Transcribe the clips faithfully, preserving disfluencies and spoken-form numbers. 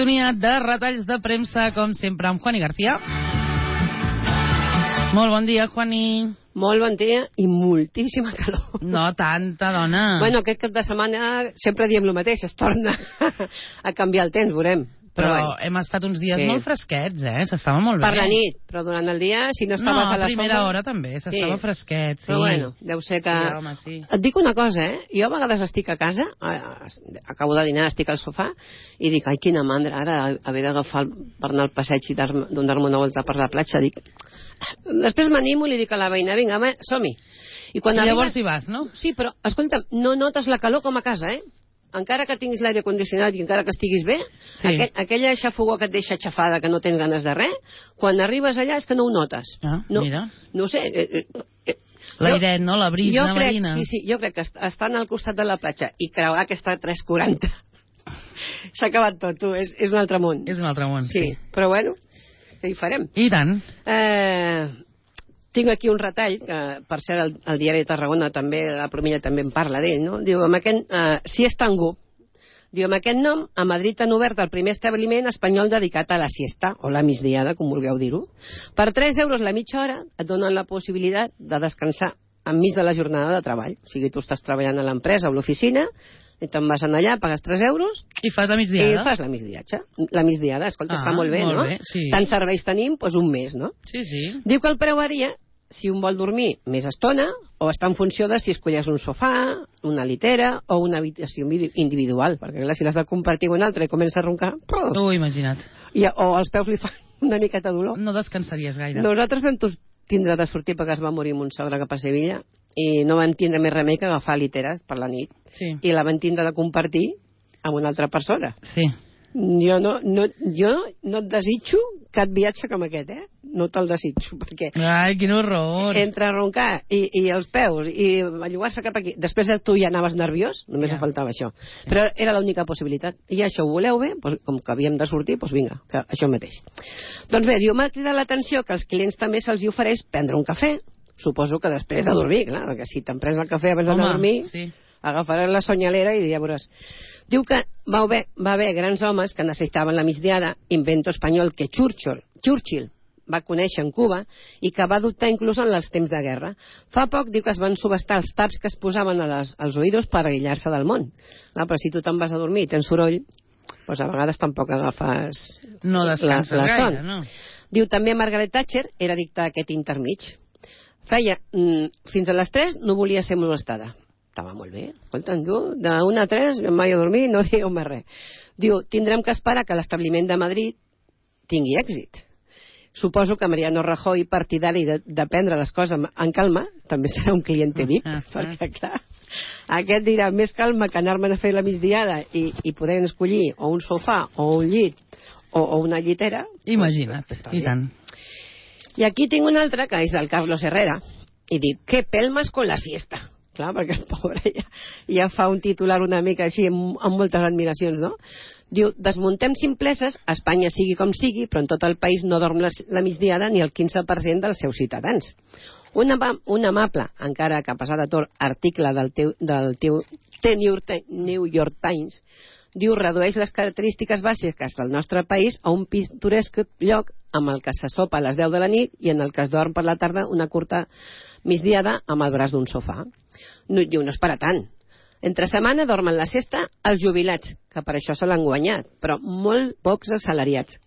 sintonia de retalls de premsa, com sempre, amb Juani García. Molt bon dia, Juani. Molt bon dia i moltíssima calor. No tanta, dona. Bueno, aquest cap de setmana sempre diem el mateix, es torna a canviar el temps, veurem. Però, però bueno, hem estat uns dies sí. molt fresquets, eh? S'estava molt bé. Per la nit, però durant el dia, si no estaves no, a la sombra... No, a primera hora també, s'estava sí. fresquet, sí. Però bueno, deu ser que... Sí, home, sí. Et dic una cosa, eh? Jo a vegades estic a casa, acabo de dinar, estic al sofà, i dic, ai, quina mandra, ara haver d'agafar per anar al passeig i donar-me una volta per la platja, dic... Després m'animo i li dic a la veïna, vinga, home, som-hi. I, quan I llavors hi vas, no? Sí, però, escolta, no notes la calor com a casa, eh? Encara que tinguis l'aire condicionat i encara que estiguis bé, sí. aquell, aquella xafogó que et deixa xafada, que no tens ganes de res, quan arribes allà és que no ho notes. Ah, no, mira. No ho sé. Eh, eh, L'airet, no? La brisa crec, marina. Sí, sí, jo crec que estant al costat de la platja i creuar aquesta tres quaranta s'ha acabat tot, tu, és, és un altre món. És un altre món, sí. sí. Però bueno, què hi farem? I tant. Eh... Tinc aquí un retall, que per cert el, el diari de Tarragona també, la Promilla també en parla d'ell, no? Diu, amb aquest, uh, si és tangú, diu, amb aquest nom, a Madrid han obert el primer establiment espanyol dedicat a la siesta, o la migdiada, com vulgueu dir-ho. Per tres euros la mitja hora et donen la possibilitat de descansar enmig de la jornada de treball. O sigui, tu estàs treballant a l'empresa o a l'oficina, i te'n vas anar allà, pagues tres euros... I fas la migdiada. I fas la migdiatge. La migdiada, escolta, ah, està molt bé, molt no? Bé, sí. Tants serveis tenim, doncs un mes, no? Sí, sí. Diu que el preu varia si un vol dormir més estona o està en funció de si escolles un sofà, una litera o una habitació individual, perquè clar, si l'has de compartir amb un altre i comença a roncar... Tu, imagina't. I, o els peus li fan una miqueta dolor. No descansaries gaire. Nosaltres vam tindre de sortir perquè es va morir mon sogre cap a Sevilla i no van tindre més remei que agafar literes per la nit. Sí. I la van tindre de compartir amb una altra persona. Sí. Jo no, no, jo no et desitjo cap viatge com aquest, eh? No te'l desitjo, perquè... Ai, quin horror! Entre roncar i, i els peus i bellugar-se cap aquí... Després tu ja anaves nerviós, només ja. faltava això. Sí. Però era l'única possibilitat. I això ho voleu bé? Doncs, com que havíem de sortir, doncs vinga, que això mateix. Doncs bé, diu, m'ha cridat l'atenció que als clients també se'ls ofereix prendre un cafè. Suposo que després de dormir, clar, perquè si te'n prens el cafè abans d'anar a dormir, sí. agafaràs la sonyalera i ja veuràs... Diu que va haver, va haver grans homes que necessitaven la migdiada, invento espanyol que Churchill, Churchill va conèixer en Cuba i que va adoptar inclús en els temps de guerra. Fa poc diu que es van subestar els taps que es posaven a les, als oïdos per aïllar-se del món. Clar, però si tu te'n vas a dormir i tens soroll, doncs a vegades tampoc agafes no descanses la, la son. Gaire, no? Diu també Margaret Thatcher era addicta a aquest intermig. Feia, mm, fins a les tres no volia ser molestada. Estava molt bé. Escolta'm, tu, d'una a tres, mai a dormir, no digueu més res. Diu, tindrem que esperar que l'establiment de Madrid tingui èxit. Suposo que Mariano Rajoy, partidari de, de prendre les coses en calma, també serà un client V I P, perquè, clar, aquest dirà, més calma que anar-me'n a fer la migdiada i, i poder escollir o un sofà, o un llit, o, o una llitera. Imagina't, pues, i tant. I aquí tinc un altre, que és del Carlos Herrera, i dic, que pelmas con la siesta. Clar, perquè el pobre ja, ja fa un titular una mica així amb, amb moltes admiracions, no? Diu, desmuntem simpleses, Espanya sigui com sigui, però en tot el país no dorm la, la migdiada ni el quinze per cent dels seus ciutadans. Un, un amable, encara que a pesar de tot, article del teu, del teu The New York Times diu, redueix les característiques bàsiques del nostre país a un pintoresc lloc amb el que se sopa a les deu de la nit i en el que es dorm per la tarda una curta migdiada amb el braç d'un sofà. No, diu, no és per a tant. Entre setmana dormen la siesta els jubilats, que per això se l'han guanyat, però molt pocs assalariats.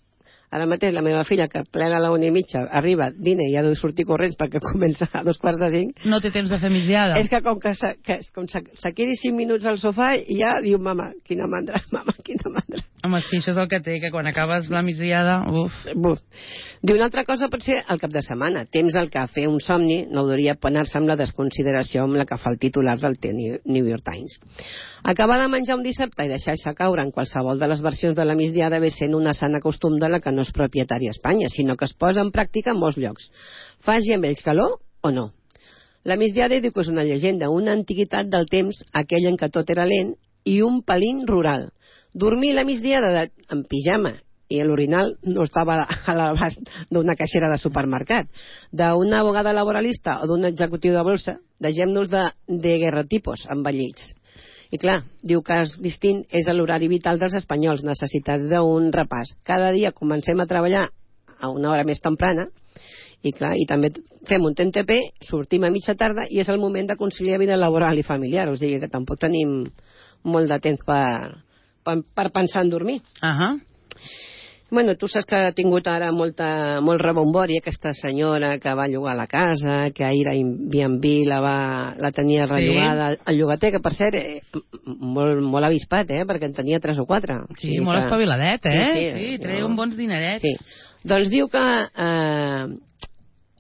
Ara mateix la meva filla, que plena a la una i mitja, arriba, dina i ha de sortir corrents perquè comença a dos quarts de cinc. No té temps de fer migdiada. És que com que se, que, com se, se quedi cinc minuts al sofà i ja diu, mama, quina mandra, mama, quina mandra. Home, sí, això és el que té, que quan acabes la migdiada, uf. Buf. Diu, una altra cosa pot ser el cap de setmana. Temps al que fer un somni no hauria penar-se amb la desconsideració amb la que fa el titular del New York Times. Acabar de menjar un dissabte i deixar-se caure en qualsevol de les versions de la migdiada ve sent una sana costum de la que no és propietària a Espanya, sinó que es posa en pràctica en molts llocs. Faci amb ells calor o no? La migdiada diu que és una llegenda, una antiguitat del temps, aquell en què tot era lent, i un pelín rural. Dormir la migdiada de, en pijama i l'orinal no estava a l'abast d'una caixera de supermercat, d'una abogada laboralista o d'un executiu de bolsa, deixem-nos de, de guerrotipos envellits. I clar, diu que és distint és l'horari vital dels espanyols, necessitats d'un repàs. Cada dia comencem a treballar a una hora més temprana i clar, i també fem un T N T P, sortim a mitja tarda i és el moment de conciliar vida laboral i familiar, o sigui que tampoc tenim molt de temps per, per, per pensar en dormir. Ahà. Bueno, tu saps que ha tingut ara molta, molt rebombori aquesta senyora que va llogar la casa, que ahir a Airbnb la, va, la tenia rellogada sí. al llogater, que per cert, eh, molt, molt avispat, eh, perquè en tenia tres o quatre. Sí, sí molt que... espaviladet, eh? Sí, sí, sí treu no... bons dinerets. Sí. Doncs diu que eh,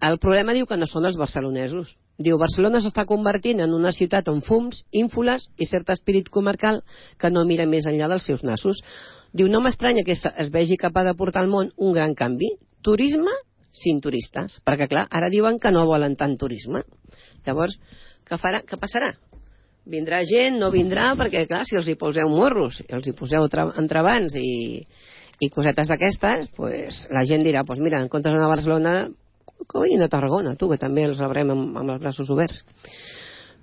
el problema diu que no són els barcelonesos. Diu, Barcelona s'està convertint en una ciutat amb fums, ínfoles i cert espirit comarcal que no mira més enllà dels seus nassos. Diu, no m'estranya que es vegi capaç de portar al món un gran canvi. Turisme sin turistes. Perquè, clar, ara diuen que no volen tant turisme. Llavors, què, farà, què passarà? Vindrà gent, no vindrà, perquè, clar, si els hi poseu morros, si els hi poseu entrebancs i, i cosetes d'aquestes, pues, la gent dirà, pues mira, en comptes d'anar a Barcelona, que vagin a Tarragona, tu, que també els rebrem amb, amb els braços oberts.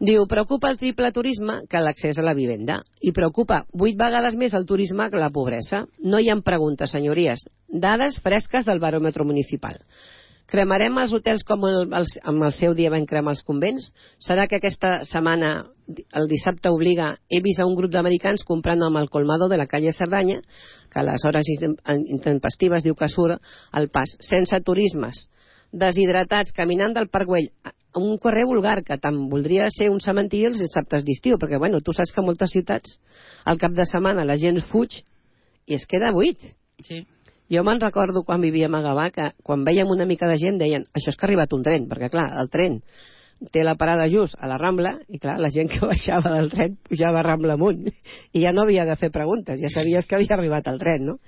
Diu, preocupa el triple turisme que l'accés a la vivenda. I preocupa vuit vegades més el turisme que la pobresa. No hi ha preguntes, senyories. Dades fresques del baròmetre municipal. Cremarem els hotels com el, el, amb el seu dia vam cremar els convents? Serà que aquesta setmana, el dissabte obliga, he vist a un grup d'americans comprant amb el colmado de la calle Cerdanya, que a les hores intempestives diu que surt al pas, sense turismes, deshidratats, caminant del Parc Güell, un carrer vulgar, que tant voldria ser un cementiri els dissabtes d'estiu, perquè, bueno, tu saps que a moltes ciutats, al cap de setmana, la gent fuig i es queda buit. Sí. Jo me'n recordo quan vivíem a Gavà, que quan veiem una mica de gent deien, això és que ha arribat un tren, perquè, clar, el tren té la parada just a la Rambla, i clar, la gent que baixava del tren pujava a Rambla amunt, i ja no havia de fer preguntes, ja sabies que havia arribat el tren, no?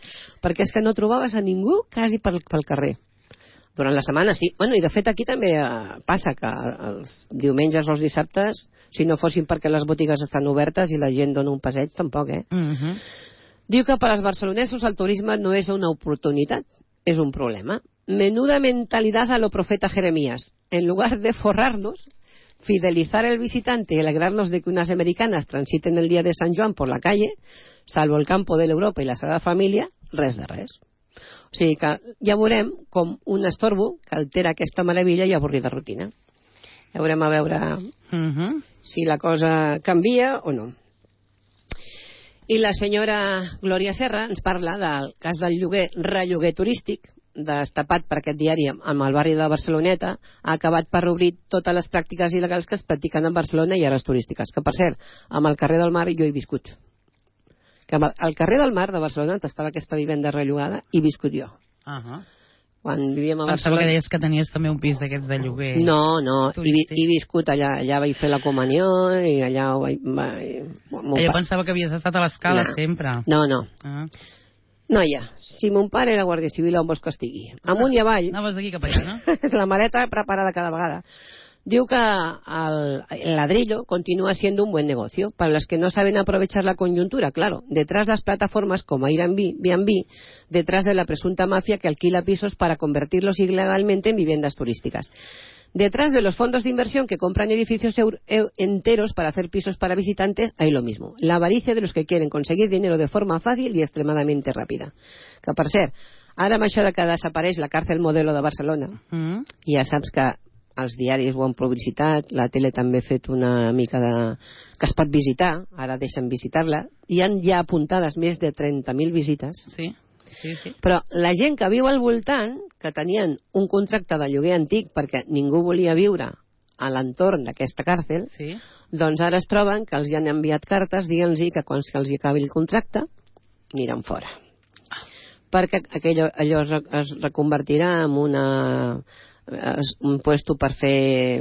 Perquè és que no trobaves a ningú quasi pel, pel carrer. Durant la setmana, sí. Bueno, i de fet aquí també eh, passa que els diumenges o els dissabtes, si no fossin perquè les botigues estan obertes i la gent dona un passeig, tampoc, eh? Uh-huh. Diu que per als barcelonesos el turisme no és una oportunitat, és un problema. Menuda mentalidad a lo profeta Jeremías. En lugar de forrarnos, fidelizar al visitante y alegrarnos de que unas americanas transiten el día de San Joan por la calle, salvo el campo de l'Europa i la Sagrada Família, res de res. O sigui que ja veurem com un estorbo que altera aquesta meravella i avorrida rutina. Ja veurem a veure uh-huh. si la cosa canvia o no. I la senyora Glòria Serra ens parla del cas del lloguer, relloguer turístic, destapat per aquest diari amb el barri de la Barceloneta, ha acabat per obrir totes les pràctiques il·legals que es practiquen en Barcelona i hores turístiques. Que, per cert, amb el carrer del Mar jo he viscut. Que al carrer del Mar de Barcelona estava aquesta vivenda rellogada i viscut jo. Uh-huh. Quan vivíem a Barcelona... Pensava que deies que tenies també un pis d'aquests de lloguer. No, no, he, he viscut allà, allà vaig fer la comunió i allà ho vaig... vaig... Jo pensava que havies estat a l'escala no. sempre. No, no. Uh-huh. Noia, si mon pare era guàrdia civil on vols que estigui? Amunt i avall. Anaves d'aquí cap allà, no? La maleta preparada cada vegada. Diu que el, el ladrillo continúa siendo un buen negocio para los que no saben aprovechar la coyuntura, claro, detrás de las plataformas como Airbnb, detrás de la presunta mafia que alquila pisos para convertirlos ilegalmente en viviendas turísticas. Detrás de los fondos de inversión que compran edificios enteros para hacer pisos para visitantes, hay lo mismo. La avaricia de los que quieren conseguir dinero de forma fácil y extremadamente rápida. Que, per cert, ara amb això de que desapareix la càrcel modelo de Barcelona, mm. ja saps que els diaris ho han publicitat, la tele també ha fet una mica de... que es pot visitar, ara deixen visitar-la, hi han ja apuntades més de trenta mil visites. Sí. Sí, sí. Però la gent que viu al voltant, que tenien un contracte de lloguer antic perquè ningú volia viure a l'entorn d'aquesta càrcel, sí. doncs ara es troben que els hi han enviat cartes dient-los que quan els hi acabi el contracte aniran fora. Ah. Perquè aquello, allò es, es reconvertirà en una, un puesto per fer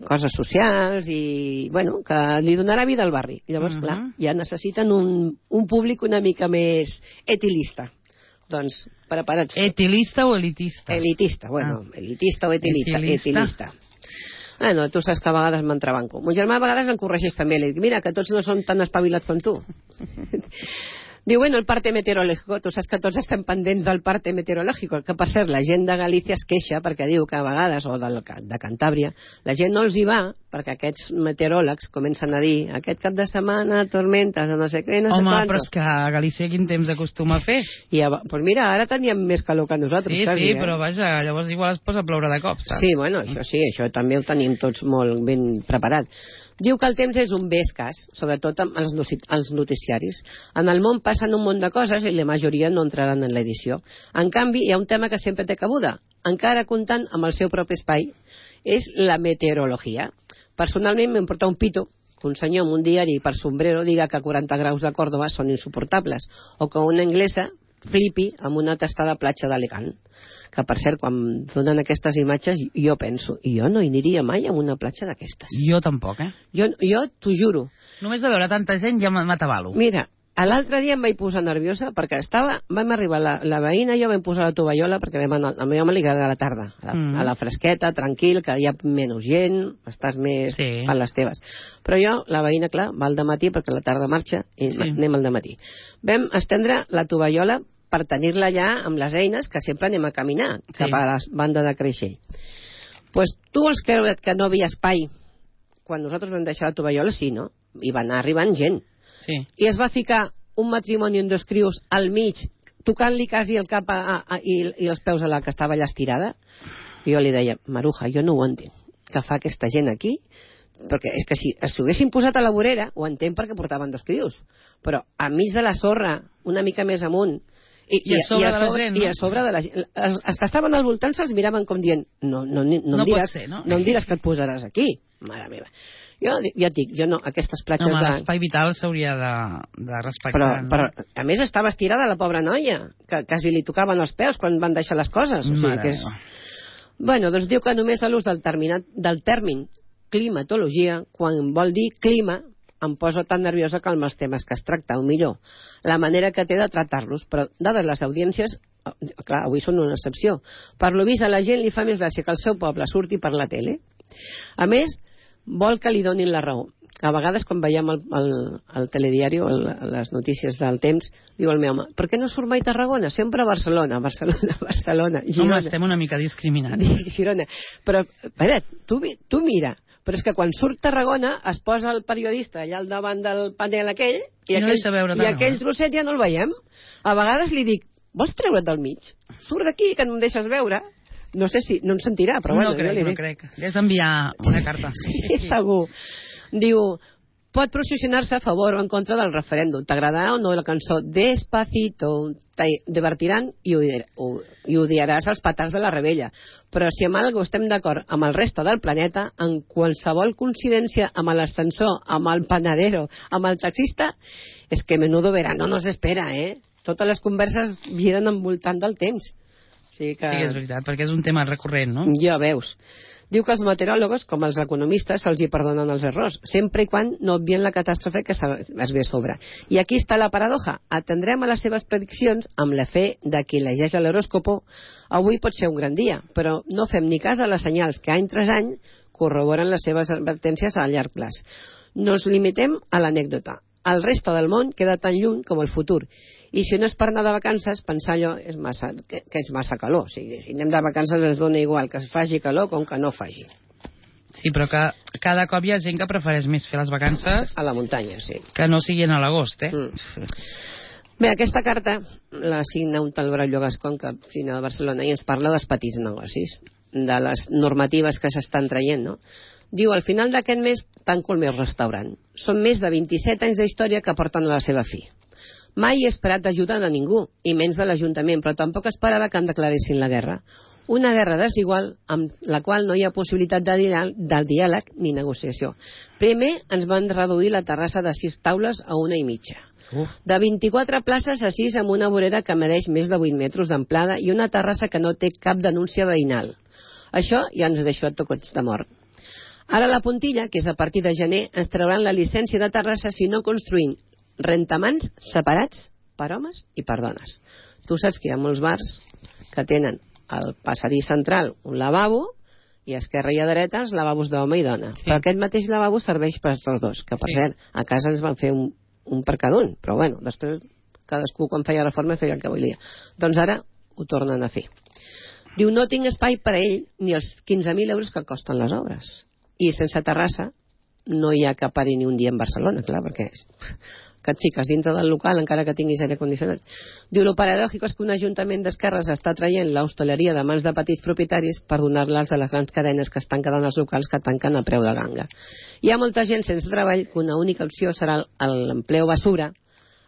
coses socials i, bueno, que li donarà vida al barri. Llavors, uh-huh. clar, ja necessiten un, un públic una mica més etilista. Doncs, preparats. Etilista o elitista? Elitista, bueno, ah. elitista o etilista. Etilista. etilista. Ah, no, tu saps que a vegades m'entrebanco. Mon germà a vegades em corregeix també. Li dic, mira, que tots no són tan espavilats com tu. Diu, bueno, el parte meteorològic, tu saps que tots estem pendents del parte meteorològic, que per cert, la gent de Galícia es queixa perquè diu que a vegades, o de, de Cantàbria, la gent no els hi va perquè aquests meteoròlegs comencen a dir aquest cap de setmana, tormentes, o no sé què, no sé Home, quantos. però és que a Galícia quin temps acostuma a fer? I, pues mira, ara teníem més calor que nosaltres. Sí, quasi, sí, eh? però vaja, llavors igual es posa a ploure de cop, saps? Sí, bueno, això sí, això també ho tenim tots molt ben preparat. Diu que el temps és un bé escàs, sobretot amb els, els noticiaris. En el món passen un munt de coses i la majoria no entraran en l'edició. En canvi, hi ha un tema que sempre té cabuda, encara comptant amb el seu propi espai, és la meteorologia. Personalment m'importa un pito que un senyor amb un diari per sombrero diga que quaranta graus de Còrdova són insuportables, o que una anglesa flipi amb una tastada platja d'Alacant. Que, per cert, quan donen aquestes imatges, jo penso, jo no hi aniria mai a una platja d'aquestes. Jo tampoc, eh? Jo, jo t'ho juro. Només de veure tanta gent ja m'atabalo. Mira, l'altre dia em vaig posar nerviosa perquè estava, vam arribar la, la veïna i jo vam posar la tovallola perquè vam anar, a mi home li agrada a la tarda, a la, mm. a la fresqueta, tranquil, que hi ha menys gent, estàs més sí. per les teves. Però jo, la veïna, clar, va al dematí perquè la tarda marxa i sí. anem al dematí. Vam estendre la tovallola per tenir-la allà amb les eines que sempre anem a caminar sí. cap a la banda de Creixell. Pues tu vols creure que no havia espai quan nosaltres vam deixar la tovallola? Sí, no? I va anar arribant gent. Sí. I es va ficar un matrimoni amb dos crios al mig, tocant-li quasi el cap a, a, a, i, i els peus a la que estava allà estirada. I jo li deia, Maruja, jo no ho entenc, que fa aquesta gent aquí, perquè és que si s'ho haguessin posat a la vorera, ho entenc perquè portaven dos crios, però a mig de la sorra, una mica més amunt, I, I, a sobre, i, a sobre, de la gent, no? I a sobre de la gent. Els, els que estaven al voltant se'ls miraven com dient no, no, no, no, no, em diràs, ser, no? no em diràs que et posaràs aquí. Mare meva. Jo ja et dic, jo no, aquestes platges... Home, de... l'espai vital s'hauria de, de respectar. Però, no? però, a més, estava estirada la pobra noia, que quasi li tocaven els peus quan van deixar les coses. O sigui, que és... Bueno, doncs diu que només a l'ús del, terminat, del tèrmin climatologia, quan vol dir clima, em poso tan nerviosa que amb els temes que es tracta, o millor, la manera que té de tractar-los, però dades les audiències, clar, avui són una excepció, per lo vist a la gent li fa més gràcia que el seu poble surti per la tele. A més, vol que li donin la raó. A vegades quan veiem el, el, el telediari o el, les notícies del temps, diu el meu home, per què no surt mai Tarragona? Sempre a Barcelona, Barcelona, Barcelona, Girona. Home, estem una mica discriminats. Girona. Però, a veure, tu, tu mira, però és que quan surt Tarragona es posa el periodista allà al davant del panel aquell i, I, no aquell, veure i aquell eh? trosset ja no el veiem. A vegades li dic, vols treure't del mig? Surt d'aquí que no em deixes veure. No sé si, no em sentirà, però no bueno. Crec, jo li no dic. crec, li has d'enviar una carta. Sí, segur. Diu, pot posicionar-se a favor o en contra del referèndum. T'agradarà o no la cançó Despacito, te divertiran i, i odiaràs els petards de la rebella. Però si amb alguna estem d'acord amb el reste del planeta, en qualsevol coincidència amb l'ascensor, amb el panadero, amb el taxista, és que menudo verano no s'espera, eh? Totes les converses giren envoltant del temps. Sí, que... sí, és veritat, perquè és un tema recurrent, no? Ja veus. Diu que els meteoròlegs, com els economistes, se'ls hi perdonen els errors, sempre i quan no obvien la catàstrofe que es ve a sobre. I aquí està la paradoja. Atendrem a les seves prediccions amb la fe de qui llegeix l'horòscopo. Avui pot ser un gran dia, però no fem ni cas a les senyals que any tras any corroboren les seves advertències a llarg plaç. Nos limitem a l'anècdota. El reste del món queda tan lluny com el futur. I si no és per anar de vacances, pensar allò és massa, que, que és massa calor. O sigui, si anem de vacances ens dona igual que es faci calor com que no faci. Sí, però que cada cop hi ha gent que prefereix més fer les vacances a la muntanya, sí, que no siguin a l'agost, eh? Mm. Bé, aquesta carta la signa un tal Braulio Gascón, que fina de Barcelona, i ens parla dels petits negocis, de les normatives que s'estan traient, no? Diu, al final d'aquest mes tanco el meu restaurant. Són més de vint-i-set anys d'història que porten a la seva fi. Mai he esperat ajuda de ningú, i menys de l'Ajuntament, però tampoc esperava que em declaressin la guerra. Una guerra desigual amb la qual no hi ha possibilitat de, diàleg, de diàleg ni negociació. Primer ens van reduir la terrassa de sis taules a una i mitja. Uf. De vint-i-quatre places a sis amb una vorera que medeix més de vuit metres d'amplada i una terrassa que no té cap denúncia veïnal. Això ja ens deixa tocats de mort. Ara la puntilla, que és a partir de gener, ens trauran la llicència de terrassa si no construïm rentamans separats per homes i per dones. Tu saps que hi ha molts bars que tenen al passadís central un lavabo i a esquerra i a dreta els lavabos d'home i dona. Sí. Però aquest mateix lavabo serveix per als dos, que per sí. cert, a casa ens van fer un, un per cada un, però bueno, després cadascú quan feia reforma feia el que volia. Doncs ara ho tornen a fer. Diu, no tinc espai per a ell ni els quinze mil euros que costen les obres. I sense terrassa no hi ha que parir ni un dia en Barcelona, clar, perquè que et fiques dintre del local encara que tinguis aire condicionat. Diu, lo paradògic és que un ajuntament d'esquerres està traient l'hostaleria de mans de petits propietaris per donar-les a les grans cadenes que estan quedant als locals que tanquen a preu de ganga. Hi ha molta gent sense treball que una única opció serà l'empleo basura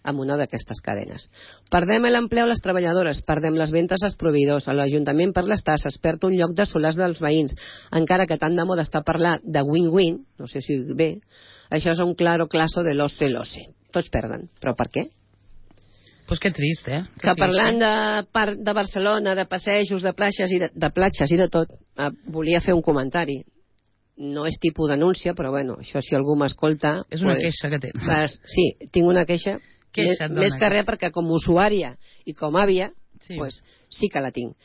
amb una d'aquestes cadenes. Perdem l'empleo a les treballadores, perdem les ventes als proveïdors, a l'Ajuntament per les tasses, perd un lloc de solars dels veïns, encara que tant de moda està parlar de win-win, no sé si bé, això és un claro claso de l'ose l'ose. Tots perden. Però per què? Pues que trist, eh? Que, que parlant de, par, de Barcelona, de passejos, de platges i de, de platges i de tot, eh, volia fer un comentari. No és tipus denúncia, però bueno, això si algú m'escolta... És una pues, queixa que tens. Pues, sí, tinc una queixa, queixa més, més que res perquè com a usuària i com a àvia, sí. Pues, sí que la tinc.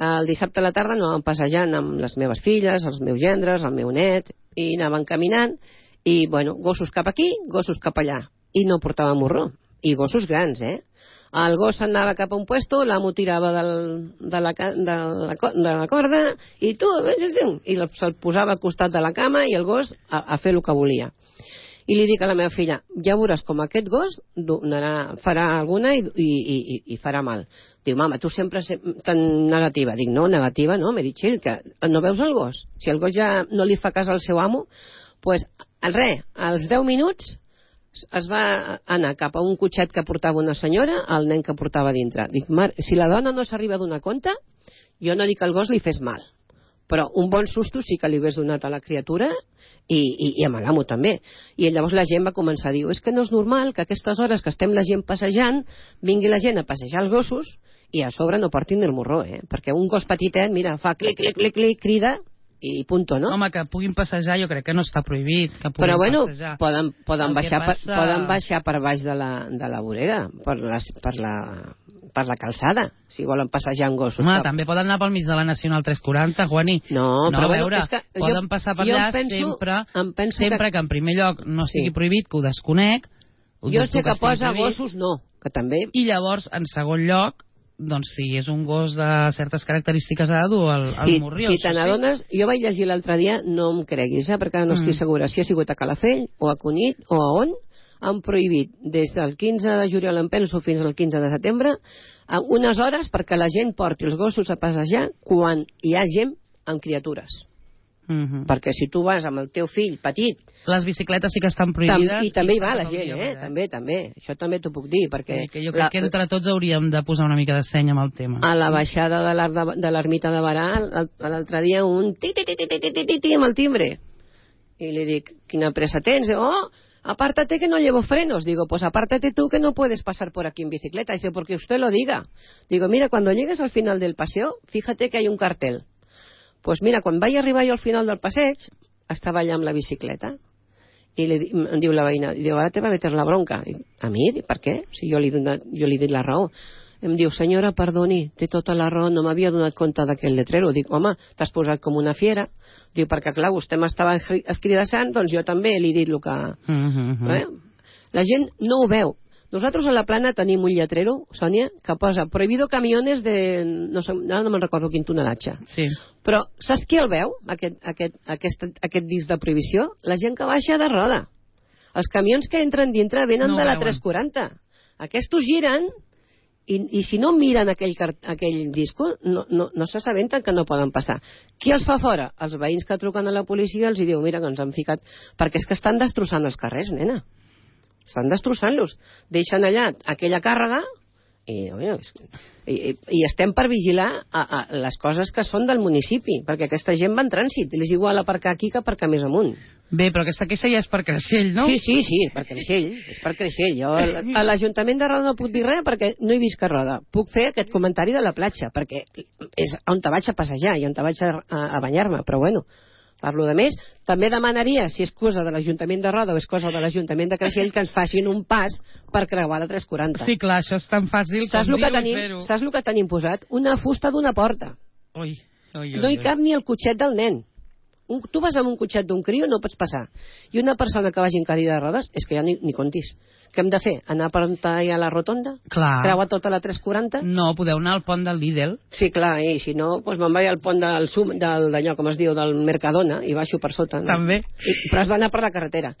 El dissabte a la tarda anàvem passejant amb les meves filles, els meus gendres, el meu net, i anàvem caminant, i bueno, gossos cap aquí, gossos cap allà. I no portava morró. I gossos grans, eh? El gos anava cap a un puesto, l'amo tirava del, de, la, de, la, de la corda i tu, i se'l posava al costat de la cama i el gos a, a fer el que volia. I li dic a la meva filla, ja veuràs com aquest gos donarà, farà alguna i, i, i, i farà mal. Diu, mama, tu sempre tan negativa. Dic, no, negativa no, m'he dit, Txell, que no veus el gos? Si el gos ja no li fa cas al seu amo, doncs, pues, res, als deu minuts es va anar cap a un cotxet que portava una senyora, el nen que portava dintre. Dic, mar, si la dona no s'arriba a donar compte, jo no dic que el gos li fes mal, però un bon susto sí que li hagués donat a la criatura i, i, i a l'amo també. I llavors la gent va començar a dir, és que no és normal que a aquestes hores que estem la gent passejant, vingui la gent a passejar els gossos i a sobre no portin el morró, eh? Perquè un gos petitet, mira, fa clic, clic, clic, clic, crida i punto, no? Home, que puguin passejar jo crec que no està prohibit, que puguin però bueno, passejar. poden, poden, baixar passa... per, poden baixar per baix de la, de la vorera, per la, per, la, per la calçada, si volen passejar amb gossos. Home, cap... també poden anar pel mig de la Nacional tres quaranta, Juani. No, no però veure, bueno, és que poden jo, passar per allà penso, sempre, sempre que... que en primer lloc no sigui sí. prohibit, que ho desconec. Ho jo sé que, que posa prohibit, gossos, no, que també... I llavors, en segon lloc, doncs si és un gos de certes característiques ha de dur el, el sí, morrió. Si te n'adones, sí? Jo vaig llegir l'altre dia, no em creguis, eh, perquè no mm. estic segura si ha sigut a Calafell o a Cunit o a on, han prohibit des del quinze de juliol en penso fins al quinze de setembre unes hores perquè la gent porti els gossos a passejar quan hi ha gent amb criatures. Mm-hmm. Perquè si tu vas amb el teu fill petit, les bicicletes sí que estan prohibides tam i també hi va la gent, eh? eh? també, també això també t'ho puc dir perquè sí, que jo crec la... que entre tots hauríem de posar una mica de seny amb el tema. A la baixada de l'ermita de Barà l'altre dia un ti ti ti ti ti ti ti ti amb el timbre i li dic, quina pressa tens? Oh, apártate que no llevo frenos. Digo, pues apártate tú que no puedes pasar por aquí en bicicleta. Dice, porque usted lo diga. Digo, mira, cuando llegues al final del paseo, fíjate que hay un cartel. Pues mira, quan vaig arribar jo al final del passeig, estava allà amb la bicicleta. I li, em diu la veïna, diu, ara te va meter la bronca. I, a mi? Per què? Si jo li, donat, jo li he dit la raó. Em diu, senyora, perdoni, té tota la raó, no m'havia donat compte d'aquell letrero. Dic, home, t'has posat com una fiera. Diu, perquè clar, vostè m'estava escridassant, doncs jo també li he dit el que... Mm-hmm. eh? La gent no ho veu. Nosaltres a la Plana tenim un lletrero, Sònia, que posa prohibido camiones de... no sé, no me'n recordo quin tonelatge. Sí. Però saps qui el veu, aquest, aquest, aquest, aquest disc de prohibició? La gent que baixa de roda. Els camions que entren dintre venen no de la tres quaranta. Aquests giren i, i si no miren aquell, aquell disco no, no, no s'assabenten que no poden passar. Qui els fa fora? Els veïns que truquen a la policia els hi diu, mira que ens han ficat... Perquè és que estan destrossant els carrers, nena. Estan destrossant-los. Deixen allà aquella càrrega i, i, i estem per vigilar a, a les coses que són del municipi, perquè aquesta gent va en trànsit. És igual aparcar aquí que aparcar més amunt. Bé, però aquesta queixa ja és per Creixell, no? Sí, sí, sí, per Creixell. És per Creixell. Jo a l'Ajuntament de Roda no puc dir res perquè no he vist que Roda. Puc fer aquest comentari de la platja, perquè és on te vaig a passejar i on te vaig a, a, a banyar-me, però bueno... Parlo de més. També demanaria, si és cosa de l'Ajuntament de Roda o és cosa de l'Ajuntament de Creixell, que ens facin un pas per creuar la tres quaranta. Sí, clar, això és tan fàcil saps com dir-ho i fer-ho. Saps el que tenim posat? Una fusta d'una porta. Ui, ui, ui, no hi cap ni el cotxet del nen. Un, tu vas amb un cotxet d'un criu, no pots passar. I una persona que vagi en cadira de rodes, és que ja ni, ni contis. Què hem de fer? Anar per on hi ha la rotonda? Clar. Creuar tota la tres quaranta? No, podeu anar al pont del Lidl. Sí, clar, i si no, doncs me'n vaig al pont del Sum, del, d'allò, com es diu, del Mercadona, i baixo per sota. No? També. I, però has d'anar per la carretera.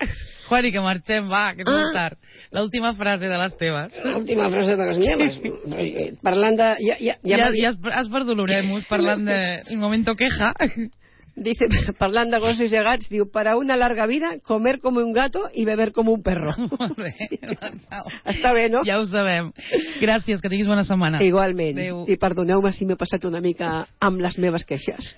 Juani, que marxem, va, que és Ah. molt tard. L'última frase de les teves. L'última frase de les meves. Parlant de... Ja, ja, ja, Ja, ja, ja has, has per Doloremos, parlant de el momento queja. Dice, parlant de gossos i gats, diu, para una larga vida, comer como un gato y beber como un perro. Molt bé. Està bé, no? Ja ho sabem. Gràcies, que tinguis bona setmana. Igualment. Adéu. I perdoneu-me si m'he passat una mica amb les meves queixes.